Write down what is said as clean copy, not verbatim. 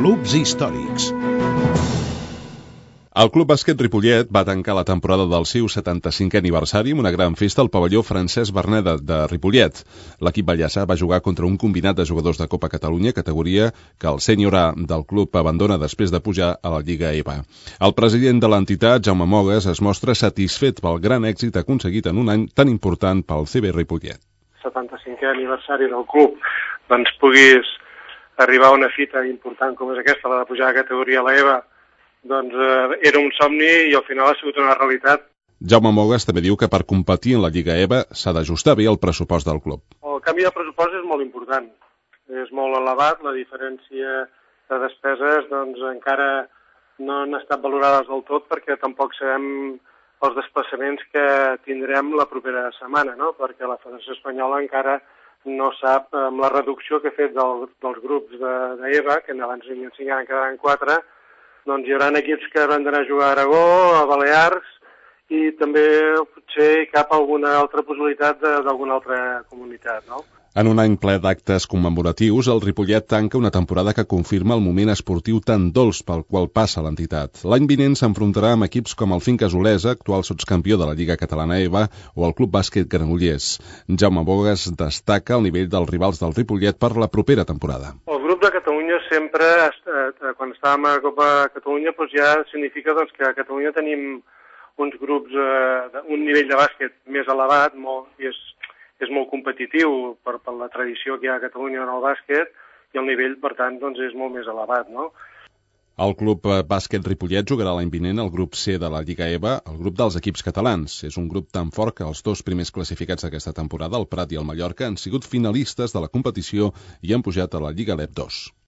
Clubs històrics. El Club Bàsquet Ripollet va tancar la temporada del seu 75è aniversari amb una gran festa al pavelló Francesc Berneda de Ripollet. L'equip ballassà va jugar contra un combinat de jugadors de Copa Catalunya, categoria que el sènior A del club abandona després de pujar a la Lliga EVA. El president de l'entitat, Jaume Mogues, es mostra satisfet pel gran èxit aconseguit en un any tan important pel CB Ripollet. 75è aniversari del club, doncs puguis arribar a una fita important com és aquesta, la de pujar a categoria a l'EVA, doncs era un somni i al final ha sigut una realitat. Jaume Mogues també diu que per competir en la Lliga EVA s'ha d'ajustar bé el pressupost del club. El canvi de pressupost és molt important, és molt elevat, la diferència de despeses doncs encara no han estat valorades del tot perquè tampoc sabem els desplaçaments que tindrem la propera setmana, no? Perquè la Federació Espanyola encara no sap amb la reducció que ha fet dels grups d'EVA, que abans n'hi havia 5 i en quedaran 4, doncs hi haurà equips que hauran d'anar a jugar a Aragó, a Balears, i també potser cap alguna altra possibilitat d'alguna altra comunitat, no? En un any ple d'actes commemoratius, el Ripollet tanca una temporada que confirma el moment esportiu tan dolç pel qual passa l'entitat. L'any vinent s'enfrontarà amb equips com el Finques Olesa, actual sotscampió de la Lliga Catalana EVA, o el Club Bàsquet Granollers. Jaume Mogues destaca el nivell dels rivals del Ripollet per la propera temporada. El grup de Catalunya sempre, quan estàvem a Copa Catalunya, doncs ja significa que a Catalunya tenim uns grups, un nivell de bàsquet més elevat, i és molt competitiu per la tradició que hi ha a Catalunya en el bàsquet, i el nivell, per tant, doncs és molt més elevat, no? El Club Bàsquet Ripollet jugarà l'any vinent al grup C de la Lliga EVA, el grup dels equips catalans. És un grup tan fort que els dos primers classificats d'aquesta temporada, el Prat i el Mallorca, han sigut finalistes de la competició i han pujat a la Lliga LEP 2.